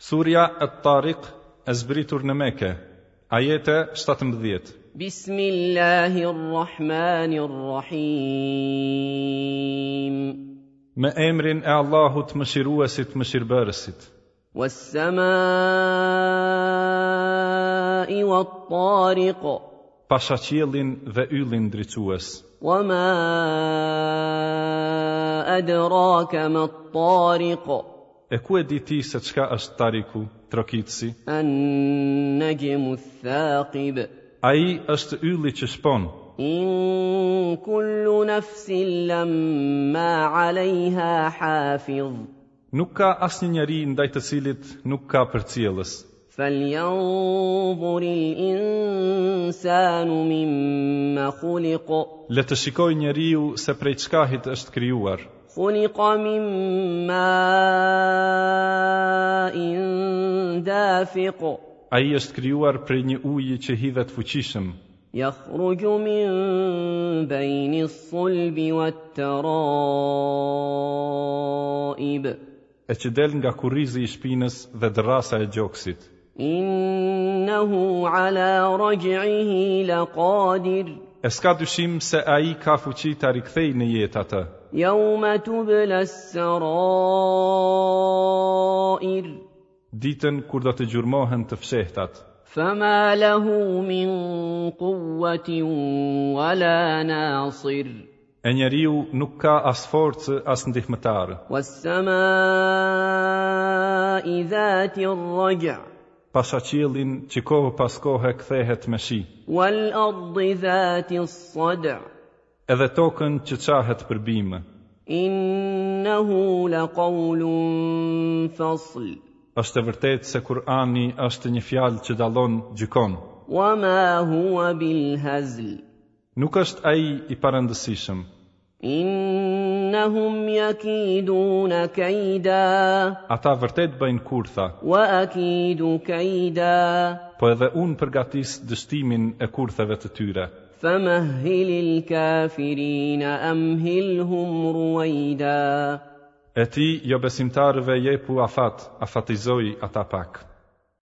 Surja At-Tariq e zbritur në Mekë, ajete 17. Bismillahirrahmanirrahim. Me emrin e Allahut Mëshiruesit, Mëshirbërësit. Was-samai wat-tariq. Pasha qiellin dhe yllin ndriçues. Wa ma adraka ma-t-tariq. E ku e di ti se çka është Tariku, trokitësi? An-najmu ath-thaqib. Ai është ylli që shpon. In kullu nafsin lamma 'alayha hafiz. Nuk ka asnjë njeri ndaj të cilit nuk ka përcjellës. Falyanzur al-insanu mimma khuliq. Le të shikojë njeriu se prej çkahit është krijuar. Khuliqa min ma'in dafiq. Ai është krijuar prej një uji që hidhet fuqishëm. Yakhruju min bayni as-sulbi wat-tara'ib. E që del nga kurrizi i shpinës dhe dërrasa e gjoksit. Innahu ala raj'ihi laqadir. E s'ka dyshim se ai ka fuqi ta rikthejë në jetë atë. Yawma tubla as-sarair. Ditën kur do të gjurmohen të fshehtat. Fama lahu min quwwatin wala nasir. E njeriu nuk ka as forcë as ndihmëtar. Was-samai dhati ar-raj'. Pasha qiellin që kohë pas kohe kthehet me shi. Wal-ardi dhati as-sad'. Edhe tokën që çahet për bimë. Innahu laqawlun fasl. Është e vërtetë se Kur'ani është një fjalë që dallon, gjykon. Wa ma huwa bil-hazl. Nuk është ai i parëndësishëm. Innahum yakiduna kayda. Ata vërtet bëjnë kurtha. Wa akidu kayda. Po edhe unë përgatis dështimin e kurtheve të tyre. Famahhilil kafirina amhilhum ruwayda. E ti jobesimtarëve jepu afat, afatizoji ata pak.